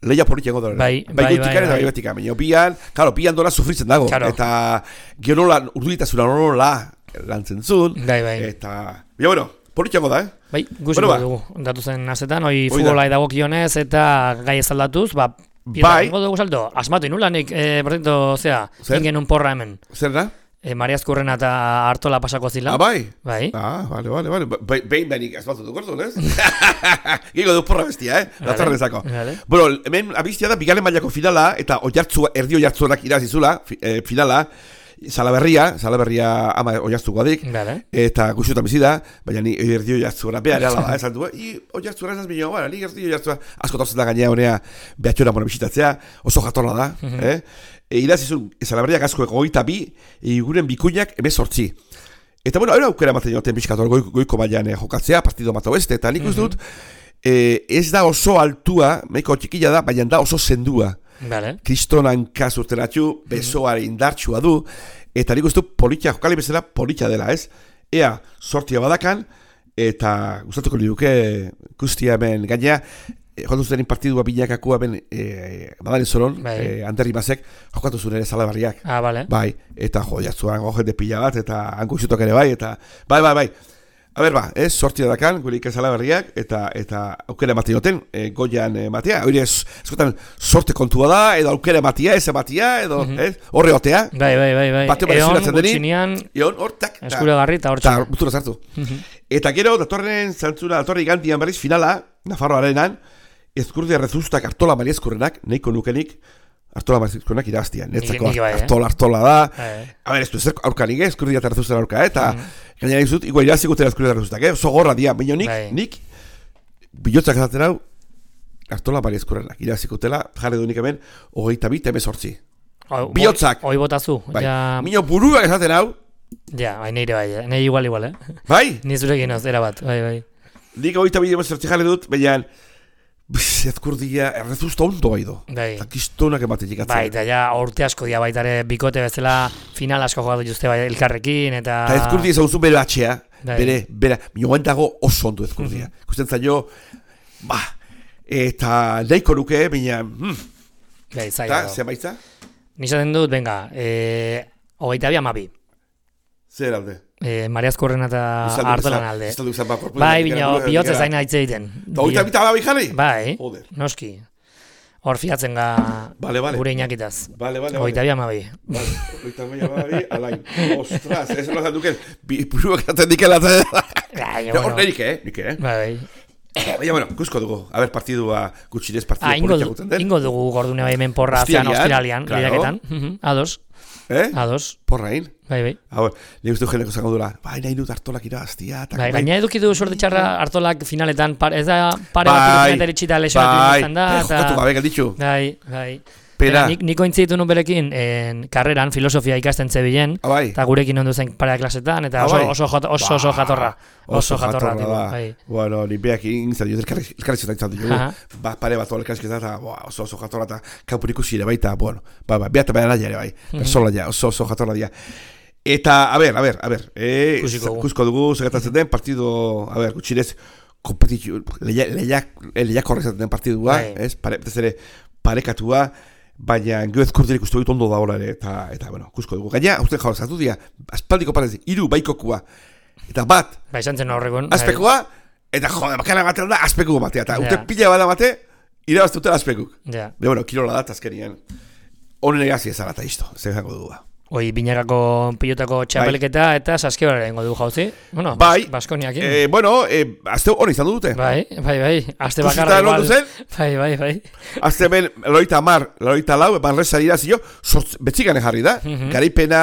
leia polit jengo dara. Bai, bai, bai, bai, bai. Eta bai betika, baina bian, karo, bian dola sufritzen dago. Claro. Eta gerola, urduritasuna nola lantzen zuen. Bai, bai. Eta, baina, bueno, polit jengo da, eh? Bai, guziko bueno, dugu, datu zen azetan, hoi futbolai dago kionez eta gai ez aldatuz, ba, bai. Ingo dugu salto, asmatu inulanik, eh, por cierto, zera, ingen un porra hemen. Zer da? Eh, Mariaz Kurrena eta Artola pasako zila. Ah, bai? Bai. Ah, vale, vale, vale. Behin behinik asmatu duk ordu, ez? Gingo du porra bestia, eh? Latorren zako. Vale. Bueno, hemen abiztia da, bigalen mailako finala, eta oiartzua, erdi oiartzuanak irazizula, eh, finala, Salaberria, Salaberria ama oiartzuko adik, vale. Eta guztutan bizi da, baina ni erdi oiartzuara, behar ala, esan du, i oiartzuara esaz bineo, bueno, ni erdi oiartzuara, asko tauzen da gainea honea behatxora mona bisitatzea, oso jatorla da, uh -huh. eh? E, irazizun, Salaberriak asko egoita bi, eguren bikuinak emezortzi. Eta, bueno, hori aukera ematen joten bizkator goiko, goiko baian eh, jokatzea, partido mato beste, eta nik uste dut, eh, ez da oso altua, meiko txikila da, baina da oso zendua. Vale. Kristonan kazurten atxu, besoare indartxua du, eta nik uste dut politia, jokali bezala politia dela, ez? Ea, sortia badakan, eta gustatuko liuke guztia hemen gainea, jokatu zuten partidua binakakua ben e, badaren zoron, e, Anderri Mazek, jokatu zuen ere Salaberriak. Ah, vale. Bai, eta jo, jatzuan gojen de pila bat, eta hanko izutok ere bai, eta bai, bai, bai. A ber, ba, ez, sortia dakan, gure ikan Salaberriak, eta eta aukera ematen joten, e, goian ematea, hori ez, eskotan, sorte kontua da, edo aukera ematea, ez ematea, edo, mm -hmm. ez, horre otea. Bai, bai, bai, bai. Bate eon, gutxinean, eon, hortak. eskura garri eta hortxe. Eta, butura zartu. Mm -hmm. Eta gero, datorren zantzuna, datorren gantian berriz, finala, Nafarro arenan, Ezkurdia rezustak Artola Mariezkurrenak, nahiko nukenik, Artola Mariezkurrenak irabaztian. Netzako Artola, Artola da. A ber, ez du, ez aurkanik, Ezkurdia eta rezustak aurka, eta gainera izut, igual irazikutera Ezkurdia eta rezustak, oso gorra dia, baina nik, nik, bilotzak ezaten hau, Artola Mariezkurrenak, irazikutela, jarri du nik hemen, hogeita bit emezortzi. Bilotzak. Hoi botazu. Mino buruak ezaten hau. Ja, bai, nire bai, nire igual, igual, eh? Bai? Ni zurekin oz, erabat, bai, bai. Nik hogeita bit emezortzi jarri dut, baina Ezkurdia errezusta ondo bai do. Eta kistonak ematen jikatzen. Bai, eta ja urte asko dia baitare bikote bezala final asko jokatu juzte bai elkarrekin, eta... Eta Ezkurdia ezaguzu bere batxea, bere, bere, mioan dago oso ondo Ezkurdia. Ikusten zailo, ba, eta nahiko nuke, baina... Hmm. Bai, zaila. Eta, zer baitza? Nizaten dut, venga, e, hogeita bi amabi. Zer alde? Eh, Mariaz Kurrena eta Artolan alde. Ez dut izan bai, bino, bihotze zaina hitz egiten. Eta hogeita bita babi jarri? Bai, noski. hor fiatzen ga vale, vale. gure inakitaz. Vale, vale, Oita vale. bi amabi. Vale, oita bi amabi, alain. Ostras, ez lo duken, buruak aten dikela. Hor nerik, eh? Nik, eh? Bai. Baina, bueno, guzko dugu. A ber, partidua gutxinez partidu ah, politia guten den. Ingo dugu gordune bai hemen porra zean ostiralian, lehiaketan. Ados. Eh? Ados. Porrain. Bai, bai. Hau, ni uste jendeko zango dula. Bai, nahi dut hartolak irabaztia. Bai, gaina eduki du sorte txarra hartolak finaletan, par, ez da pare bai, bat finaletan etxita lesionatu izan da. Bai, jokatu gabe galditxu. Bai, bai. Pena. Nik, niko intzitu nun berekin en, karreran filosofia ikasten zebilen, bai. eta gurekin ondu zen parea klasetan, eta oso, oso, oso, oso, oso jatorra. Oso jatorra, tipo, bai. Bueno, ni beak inzat, jo elkarrizketan izan dugu. Ba, pare bat elkarrizketan, eta oso oso jatorra, eta kanpur ikusi ere baita, bueno, ba, ba, behat baina ere bai, personala ja, oso oso jatorra dira. Eta, a ber, a ber, a ber, eh, kusko dugu, segatatzen den, partido, a ber, gutxinez, kompetitio, lehiak horrezatzen den partidua, ez, pare, ere, parekatua, baina geoz kurdirik uste dut ondo da hola ere, eta, eta, bueno, kusko dugu. Gaina, uste jaur, zartu dira, aspaldiko parezi, iru baikokua, eta bat, ba, izan zen horrekon, azpekoa, eta jode, bakana batean da, azpekuko batea, eta ute pila bada bate, irabazte utela azpekuk. Ja. De, bueno, kirola da, azkenien, honen egazi ezara eta isto, zer zango dugu. Oi, binakako pilotako txapelketa bai. Eta saskibara egingo du jauzi. Bueno, bai, Baskoniakin. Eh, bueno, eh, azte hori izan dute. Bai, bai, bai. Azte bakarra igual. Bai, bai, bai. Azte ben, loita mar, loita lau, banresa irazio, betzikane jarri da. Mm -hmm. Garipena,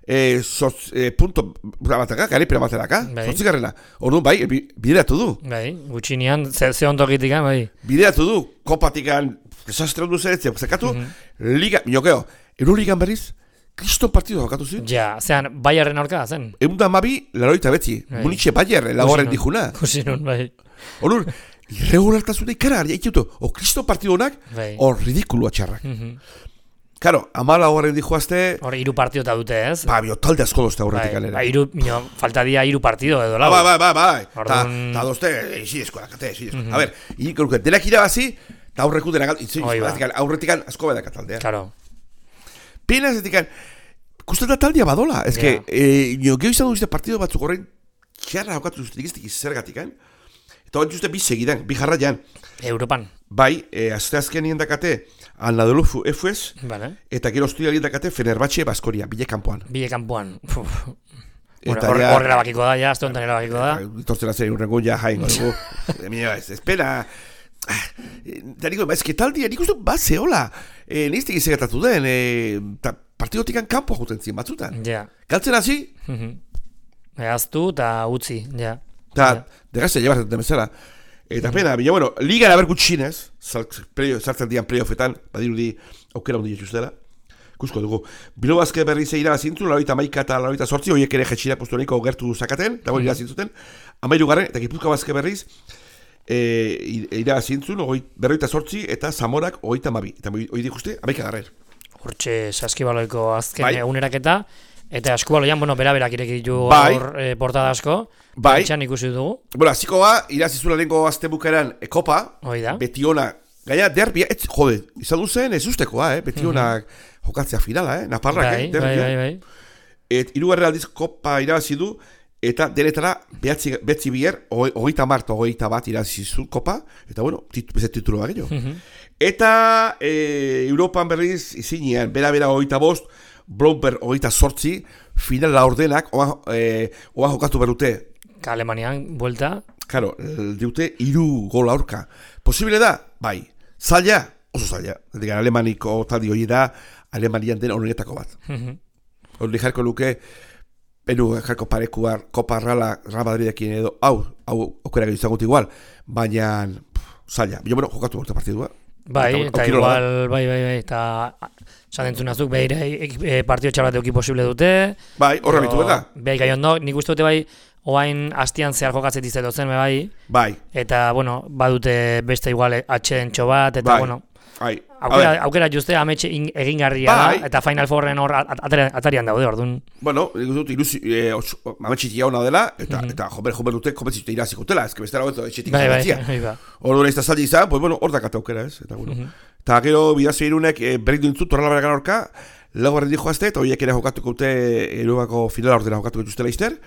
eh, sortz, eh, punto, bataka, garipena bateraka. Bai. Sortzikarrena. Orduan, bai, bideratu du. Bai, gutxinean, ze, ze ondokitikan, bai. Bideratu du, kopatikan, desastre ondu zeretzea, zekatu, mm -hmm. liga, minokeo, Euroligan berriz, Kriston partidu jokatu zuen? Ja, zean, Bayerren aurka zen. Egun da mabi, laroita betzi. Bai. Munitxe Bayer, lagorren dijuna. Kusinun, bai. Horur, irregulartasuna ikara, haikiutu. O, kriston partidu honak, bai. Hor ridikulua txarrak. Mm -hmm. Karo, amala horren dijoazte... Hor, iru partidu eta dute, ez? Ba, bio, talde asko dozte horretik bai, alera. Ba, iru, mino, falta dia iru partidu edo lau. Ba, ba, ba, ba. Ordun... Ta, ta dozte, isidezko, dakate, isidezko. Mm -hmm. A ber, iruke, denak irabazi, eta aurreku denak, aurretikan asko bedak ataldea. Claro. Pena zetikan, kusten da taldia badola, ez que, eh, nio, geho izan duzte partido batzuk horrein txarra haukatu duzte dikiztik izergatik, eh? Eta hori duzte bi segidan, bi jarraian. Europan. Bai, eh, azte azkenien dakate, Anadolu F S, vale. Eta gero ostialien dakate Fenerbahce Baskonia, bile kanpoan. Bile kanpoan. Horre hor erabakiko da, ja, azte honetan erabakiko da. Itortzen azeri urrengo ja jaingo dugu. Ez, espera... Da niko, ez que taldia, nik uste bat zehola. Eh, Niztik izegatatu den, eh, partidotikan kanpo juten zien batzutan. Ja. Galtzen hasi? Eaztu eta utzi, ja. Eta, degazte, llebatzen den bezala. Eta pena, bila, bueno, ligan haber gutxinez, sartzen dian playoffetan, badirudi aukera hundi jetxuztela. Kusko dugu. Bilo bazke berri ze irabazintzun, laroita maika eta laroita sortzi, horiek ere jetxira postu honiko gertu zakaten, eta hori irabazintzuten. Amairu garren, eta Gipuzkoa bazke berriz, e, irabazintzun, berroita sortzi, eta Zamorak hogeita mabi. Eta hori dikuste, amaika garren. Hortxe, saskibaloiko azken bai. Eguneraketa, eta askubaloian, bueno, bera-berak ireki ditu bai. Aur, e, portada asko. Bai. Etxan ikusi dugu. Bueno, aziko ba, irazizula lehenko azte bukaeran e, kopa, Oida. beti ona, gaina derbia, ez, jode, izan duzen ez ustekoa, eh? Beti ona mm-hmm. jokatzea finala, eh? Naparrak, bai, eh? Derbia. Bai, bai, bai. Et irugarren aldiz kopa irabazi du, eta denetara behatzi, behatzi bier, hogeita marta, hogeita bat irabazi zu kopa, eta bueno, tit, bezet titulu da gehiago. Mm-hmm. Eta e, Europan berriz izinean, bera-bera hogeita bost, Blomberg hogeita sortzi, finala ordenak, oa, e, oa jokatu berute. Alemanian, buelta. Claro, diute iru gol aurka. Posible da? Bai. Zaila? Oso zaila. Digan, alemaniko taldi hori da, Alemanian den honetako bat. Hori jarko luke, benu jarko parekuar, Kopa Rala, Real Madridekin edo, hau, hau, okera gehiago zagut igual, baina, zaila. Bilo, bueno, jokatu borte partidua. Bai, eta, eta igual, bai, bai, bai, eta zatentzun azuk, behire, e, partio txarbat euki posible dute. Bai, horra bitu, beda? Bai, gai ondo, nik uste dute bai, oain hastian zehar jokatzet izaten zen, bai. Bai. Eta, bueno, badute beste igual atxeden txobat, eta, bai. bueno, bai. aukera, aukera juste ametxe egingarria bai. da, eta Final Fourren hor atarian daude, orduan. Bueno, nik uste dut, ilusi, e, ametxitia hona dela, eta, mm-hmm. eta jomer, jomer dute kompetzitu irazikutela, ez que bestera hori etxetik bai, zabatzia. Bai, bai, orduan ez da zaldi izan, pues bueno, hor dakate aukera, ez, eta bueno. Mm-hmm. Eta gero, bidazio irunek, e, berrik duntzu, torrela beragan orka, lau barren dijo azte, eta horiek ere jokatuko dute, erugako finala ordena jokatuko dituztela izter.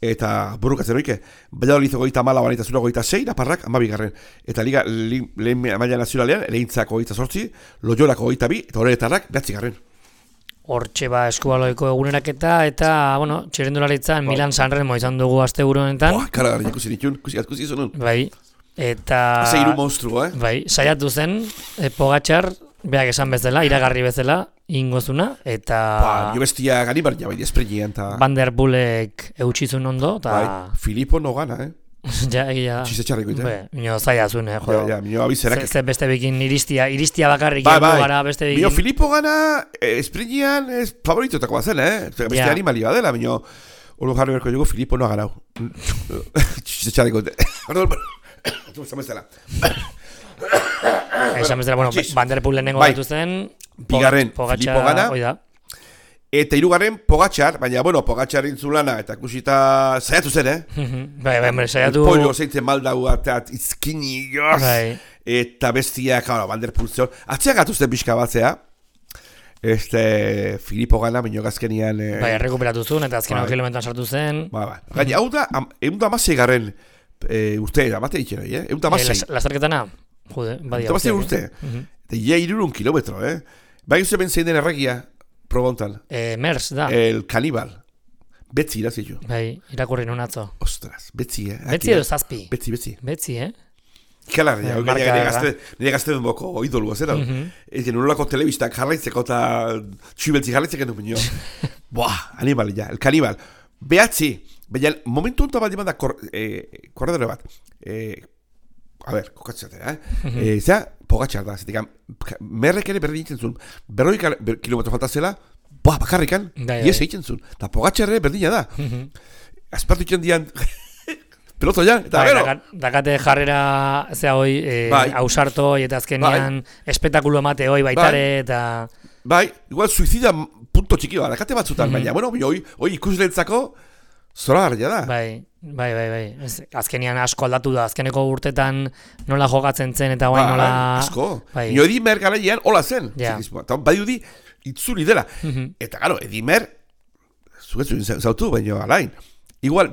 eta burrukatzen oike, Valladolid goita mala eta zura goita sei, Naparrak amabigarren. Eta liga li, lehen maila nazionalean, Ereintzako goita sortzi, Loiolako goita bi, eta horretarrak behatzigarren. Hortxe ba eskubaloiko eguneraketa, eta, bueno, txirrendularitzan Milan Sanremo izan dugu aste buru honetan. Boa, karagarri ikusi ditun, ikusi izanun. Bai, eta... Haze hiru monstruo, eh? Bai, saiatu zen, e, Pogačar, beak esan bezala, iragarri bezala, ingozuna, eta... Ba, nio bestia gani bar jabai, espregian, eta... Van der Poelek eutxizun ondo, eta... Bai, Filippo no gana, eh? Ja, egia da. Txize txarriko, eh? Be, mino zaila zuen, eh, jo. Ja, ja, mino abizerak. Ze beste bekin iristia, iristia bakarrik bai, egin bai. gara beste bekin. Mino Filippo gana, eh, espregian, es favoritotako bazen, eh? Beste ja. animali badela, mino... Olo jarri berko dugu, Filippo no ha ganau. Txize txarriko, eh? Tu esan bezala. Esan bezala, bueno, Van der Poel lehenengo bai. gaitu zen. Bigarren, Pogačar, Filippo gana. Oida. Eta hirugarren Pogačar, baina, bueno, Pogačar intzulana, eta kusita saiatu zen, eh? Bai, bai, saiatu... Pollo zeintzen maldau, eta izkini, joz! Bai. Eta bestia, claro, Van der Poel zeon. Atzean gatuzten pixka batzea. Este, Filippo gana, bineo gazkenian... Eh... Bai, errekuperatu zuen, eta azken hau bai. kilometran sartu zen. Bai, bai. Gaina, hau da, egun da amasei garren e, urte, amate itxero, eh? Egun da amasei. Eh, Lasterketana? Jude, badia. Egun da amasei urte. Eta ja irurun kilometro, eh? Bai, uste ben zein den erregia, probontan. Eh, Mers, da. El kanibal. Betzi irazitu. Bai, irakurri nun atzo. Ostras, betzi, eh? Betzi edo zazpi? Betzi, betzi. Betzi, eh? Ikalar, Eh, ja, marka nire da. gazte, nire gazte den boko idolua, zera? Ez gen, nolako telebistak jarraitzeko eta txibeltzi jarraitzeko du minio. Buah, animal, ja, el kanibal. Behatzi, baina momentu honetan bat dimanda kor, eh, korredore bat. Eh, a ber, kokatzatea, eh? eh Zera, Pogačar da, zetik, merrek ere berdin egiten zuen, berroi ber, kilometro falta zela, buah, bakarrikan, Gai, ies bai. egiten zuen. Eta Pogačar ere berdina da. Azpartu itzen dian, peloto ja, eta Bai, gero. dakat- dakate jarrera, zea hoi, eh, Bai. ausarto, eta azkenean espektakulo emate hoi baitare, eta... Bai, igual suicida punto txiki bat, dakate batzutan, baina, bueno, hoi, hoi ikuslentzako zora garria da. Bai, bai, bai, bai. Ez, azkenean asko aldatu da, azkeneko urtetan nola jokatzen zen, eta guain nola... asko. Bai. Nio Edimer garaian hola zen. Ja. Eta badiudi itzuli dela. Eta, gero, Edimer, zuetzuen zautu, baina alain. Igual,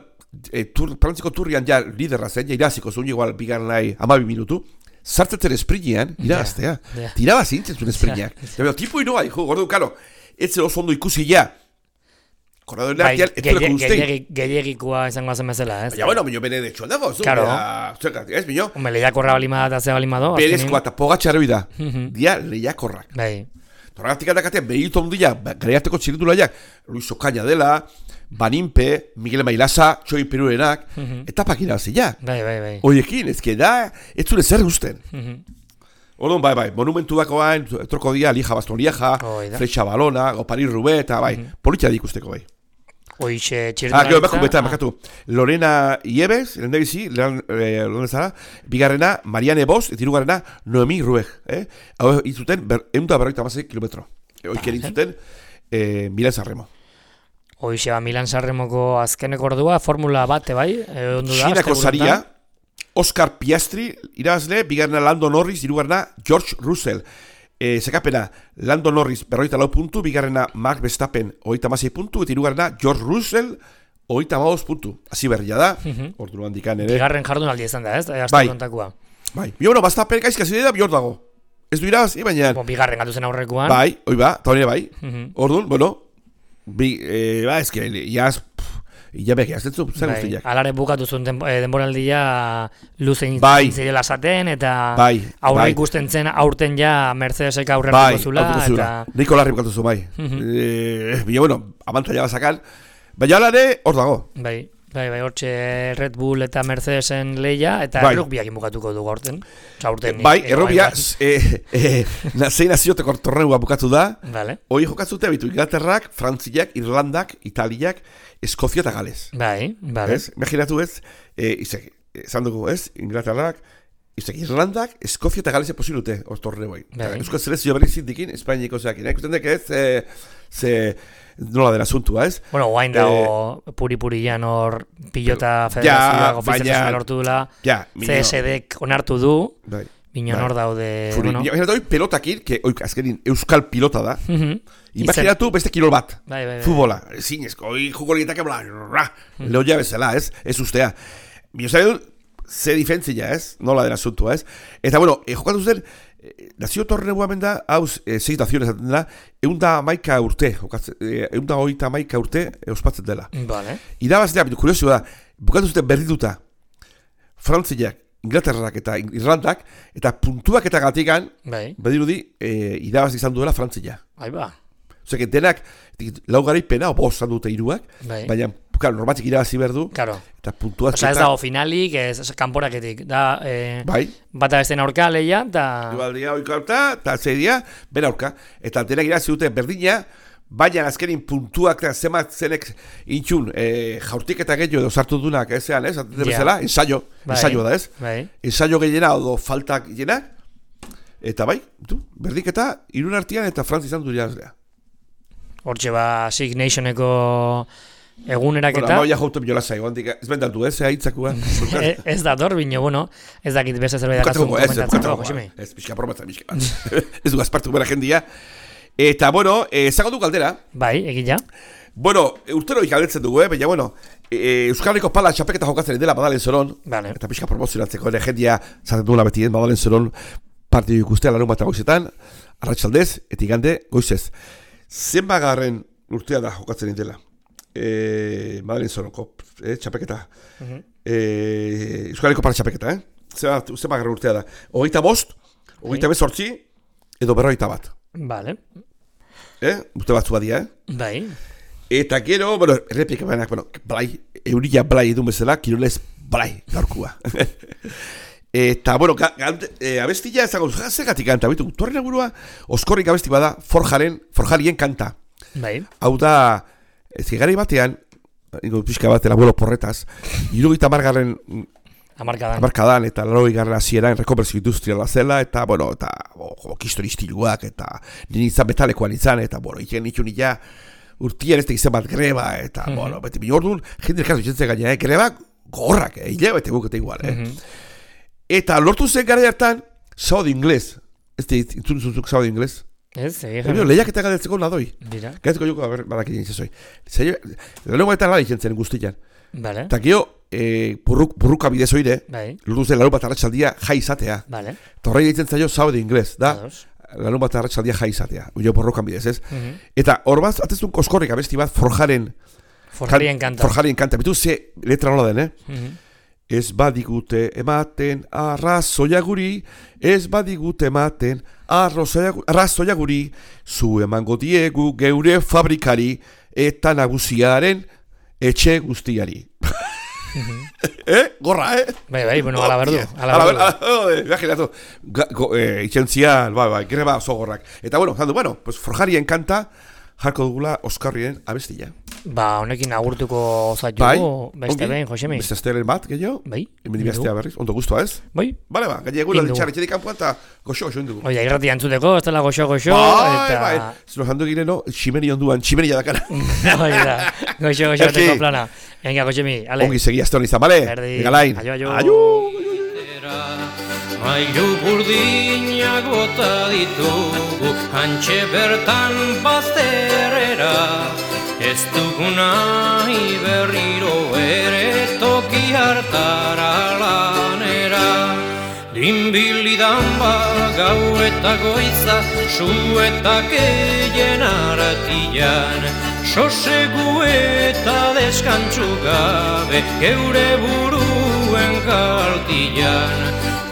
e, tur, Frantziko turrian ja liderra zen, ja iraziko zuen, igual bigarren nahi amabi minutu, sartzetzen esprinean, irabaztea. Ja, ja. Tiraba zintzen zuen esprineak. Ja, tipo inoa, hijo, gordo, karo, ez zer oso ondo ikusi ja. Korredore Bai, artean, ez dure guztei. gehiagik- gehiagikoa izango zen bezala, ez? Baina, bueno, minio bene de txuan dago, zu, Claro. bera, zergatik, ez, minio? Hombre, lehiakorra balima da, eta ze balima do. Berezkoa eta Pogačar da, Mhm. dia lehiakorrak. Bai, Toragatik aldakatean behitu ondia, gariarteko txirindulaiak, Luis Ocaña dela, Banimpe, Miguel Mailasa, Txoi Perurenak, etapak irabazia. bai, bai, bai. Oiekin, ezke da, ez zure zer gusten. Mhm. Orduan, bai, bai, monumentu dakoan, troko dia, Lija Baston Lieja, Hoi da. Flecha Balona, Gopari Rube, eta bai, politxea ikusteko bai. Hoixe Ah, txirrindularitza... gero, bakun beta, bakatu. Lorena Iebes, lehen bizi, lehen eh, zara, bigarrena, Mariane Bosch, eta hirugarrena, Noemi Rueg. Eh? Hau izuten, ber, egun da berroita hamasei kilometro. Oiker izuten, eh, Milan Sanremo. Hoixe ba, Milan Sanremoko azkeneko ordua, formula bate, bai? E, ondo da, Xinako asteburuetan. saria, Oscar Piastri, irabazle, bigarrena Lando Norris, hirugarrena George Russell. E, Zekapena, Lando Norris, berroita lau puntu, bigarrena Max Verstappen, oita hamasei puntu, eta hirugarrena George Russell, oita hamabost puntu. Hasi berria da, ordu handikan ere. Bigarren jardunaldi izan da, ez? Aste Bai. kontakoa. Bai, bi bueno, Verstappen gaizkasi da, bihor dago. Ez du irabazi, baina... Bo, bigarren gatu zen aurrekoan. Bai, oi ba, eta hori bai. Mhm. Orduan, bueno, bi, eh, ba, ez que, jaz, ya beki, ez dut zer Bai, guztiak. alare bukatu zuen den, eh, denboraldia luzein Bai. zirela zaten, eta Bai, aurre bai. ikusten zen aurten ja Mercedesek aurre Bai, hartuko zula, autuko zula. eta... Niko larri bukatu zu, bai. eh, Bila, bueno, abantaila bazakan. Baina alare, hor dago. Bai, bai, bai, hortxe Red Bull eta Mercedesen leia, eta Bai. errukbiak bukatuko dugu aurten. Osa, aurten Bai, nik- errobia, bai, eh, eh, na- zein nazioteko torneua bukatu da. Vale. Hoi jokatzute, bitu, Inglaterrak, Frantziak, Irlandak, Italiak, Eskozia eta Gales. Bai, vale. Ez? Imaginatu ez, eh, izek, esan dugu ez, Inglaterrak, izek, Irlandak, Eskozia eta Gales posibilute, hor torneo bai. Bai. Euskal selezio berri zindikin, Espainiako zeakin. Ikusten dek ez, eh, ze, nola den asuntua ez. Bueno, guain dago puri-purian hor pilota Eh, Ja, federazioak baina- ofizialtasuna lortu dula, Ja, minio. C S D-ek onartu du, Bai. Minon hor daude... Zuri, bueno. Baina doi pelotakin, que oik, azkenin euskal pilota da. Mm-hmm. Imaginatu beste kirol bat. Bai, bai, bai. Futbola, zinezko, oi jugolietake bla, ra, mm. lehoia bezala, ez? Ez ustea. Bio zaidu, ze difentzia, ez? Nola dela asuntua, ez? Eta, bueno, eh, jokatu zen, eh, nazio torren eguamen da, hauz, eh, segitaziones aten da, eunda maika urte, eh, eunda oita maika urte, eh, ospatzen dela. Vale. Irabaztea, kuriosio da, bukatu zuten berdituta, Frantziak, Inglaterrak eta Irlandak, eta puntuak eta gatikan, bai. Badirudi, e, irabaz izan duela Frantzia. Ai ba. Osea, denak, lau garaipena, o bost dute hiruak, bai. Baina, claro, normatik irabazi behar du, claro. Eta puntuak... Osa, ez dago finalik, ez, ez kanporaketik, da, e, bai. Bata besten aurka leia, eta... Igualdia oiko aurka, eta zeidia, ben aurka, eta denak irabazi dute berdina, baina azkenin puntuak eta zemat zenek intxun e, jaurtik eta gehiago edo sartu dunak ezean, ez? Bezala, yeah. ensaio, bai, ensaio da, ez? Bai. Ensaio gehiena odo faltak gehiena, eta bai, du, berdik eta irun artian eta Frantz izan du irazlea. Hortxe ba, Six Nationeko egunerak eta... Bueno, amaia jauten biola zaigo, ez bendatu, ez, haitzakua. Ez da dor, bine, bueno, ez dakit beste zerbait dakazun komentatzeko, Josemi. Ez, pixka probatzen, pixka. Ez du gazpartu bera jendia. Eta, bueno, ezago du galdera. Bai, egila. Bueno, urtero ikaldetzen dugu, eh? Baina, bueno, e, Euskal Herriko pala txapeketa jokatzen dela Madalen Zoron. Vale. Eta pixka promozionatzeko, ere jendia zaten duela betien Madalen Zoron partidu ikustea larun bat goizetan, arratsaldez, eta igande goizez. Zenbagarren urtea da jokatzen dela e, Madalen Zoronko eh, txapeketa. Uh-huh. e, Euskal Herriko pala txapeketa, eh? Zenbagarren urtea da. Hogeita bost, hogeita bezortzi, edo berrogeita bat. Vale. Eh? Uste batzu badia, eh? Bai. Eta gero, bueno, errepika banak, bueno, blai, eurilla blai edun bezala, kirolez blai, gaurkua. Eta, bueno, ga, ga, e, abestila ezago, zegatik kanta, bitu, torren agurua, oskorrik abesti bada, forjaren, forjarien kanta. Bai. Hau da, ez gari batean, ingo pixka bat, el abuelo porretaz, irugita margarren... Amarkadan. Amarkadan, eta laroi garren hasieran rekonbertsio industriala zela, eta, bueno, eta, bo, kistoristiluak, eta nien izan betalekoan izan, eta, bueno, iken nitxun ila, urtien ez tegizen bat greba, eta, mm-hmm. bueno, beti binordun, jende erkazu ikentzen gaina, eh, greba gorrak, eh, hile bete gukete igual, eh. Mm-hmm. Eta lortu zen gara hartan, sábado inglés, ez te intzun zuzuk sábado inglés. Ez, egin. Lehiak eta galdetzeko nadoi. Dira. Gatzeko joko, a ber, badak egin zezoi. Lehenu baita nada ikentzen guztian. Vale. Eta gio, e, burruk, burruka bidez oire, bai. Lortu zen larun bat arratsaldia jai izatea. Vale. Torrei egiten zaio sábado inglés, da? Ados. Larun bat arratsaldia jai izatea. Uio burrukan bidez, ez? Mm-hmm. Eta hor bat, atezun koskorrik abesti bat, forjaren... Forjarien kanta. Forjarien kanta. Bitu ze letra nola den, eh? Mm-hmm. Ez badigute ematen arrazoia guri, ez badigute ematen arrazoia guri, zu emango diegu geure fabrikari eta nagusiaren etxe guztiari. Mm-hmm. eh? Gorra, eh? Bai, bai, bueno, ala berdu. Ala berdu. Imaginatu. Itxentzian, bai, bai, greba oso gorrak. Eta, bueno, zandu, bueno, pues forjarien kanta, jarko dugula Oskarrien abestila. Ba, honekin agurtuko zaitu, bai, beste behin, Josemi. Beste astelen bat, gehiago? Bai. Hemen dibaztea berriz, ondo guztua ez? Bai. Bale ba, gaine egula ditxarri txedik kanpoan eta goxo-goxo indugu. Oida, irrati antzuteko, ez dela goxo-goxo. Bai, eta... bai, zelo jandu egine, no, ximeni onduan, ximeni jadakara. Oida, goxo-goxo teko plana. Venga, Josemi, ale. Ongi segi azte honi izan, bale? Erdi. Egalain. Aio, aio. Aio. Mailu burdinak bota ditugu, hantxe bertan bazterrera. Ez duguna berriro ere toki hartara lanera. Dinbilidan ba gau eta goiza, su eta keien aratian. Sosegu eta deskantzu gabe, geure buruen kaltian.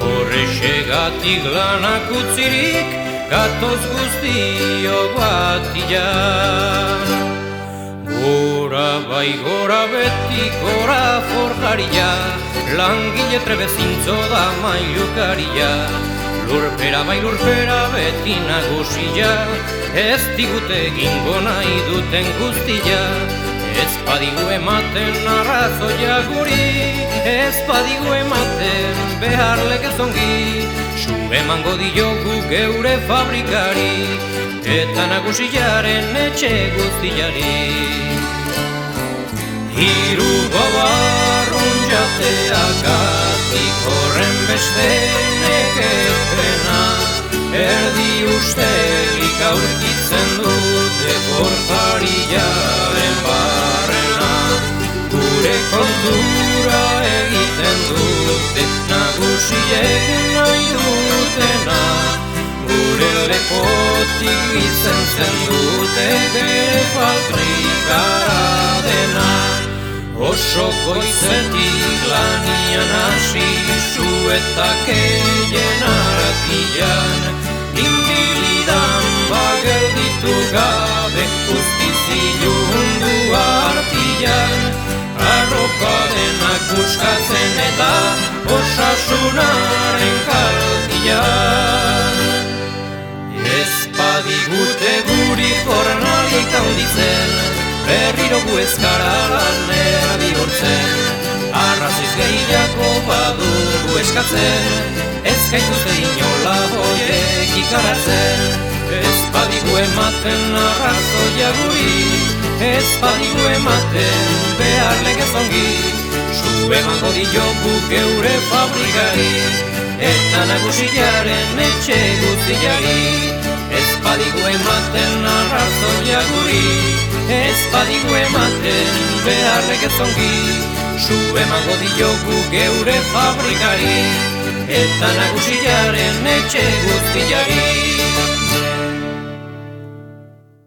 Horrexegatik lanak utzirik, gatoz guztiok batian. Gora bai gora beti gora forjaria, langile trebezintzo da mailukaria. Lurpera bai lurpera beti nagusia, ez digute egingo nahi duten guztia. Ez badigu ematen arrazoia guri, ez badigu ematen behar legezongi. Su emango diogu geure fabrikari, eta nagusiaren etxe guztiari. Hiru gobarrun jateak Zergatik horren beste nekepena, erdi ustelik aurkitzen dute portariaren barrena. Gure kontura egiten dute nagusiek nahi dutena, gure lepotik gizentzen dute bere faltrikara dena. Oso goizetik lanian hasi suetak eien aratian, inbilidan bagelditu gabe guztiz ilundu artian, arropa denak buskatzen eta osasunaren kaltian. Ez badigute guri jornalik handitzen, berriro gu ez gara lanera bihurtzen, arraziz gehiago badugu eskatzen, ez gaituzte inola hoiek ikaratzen. Ez badigu ematen arrazoia guri, ez badigu ematen behar legez ongi, zu emango diogu geure fabrikari, eta nagusiaren etxe guztiari. Ez badigu ematen arrazoia guri, ez badigu ematen behar legez ongi, zu emango diogu geure fabrikari, eta nagusiaren etxe guztiari.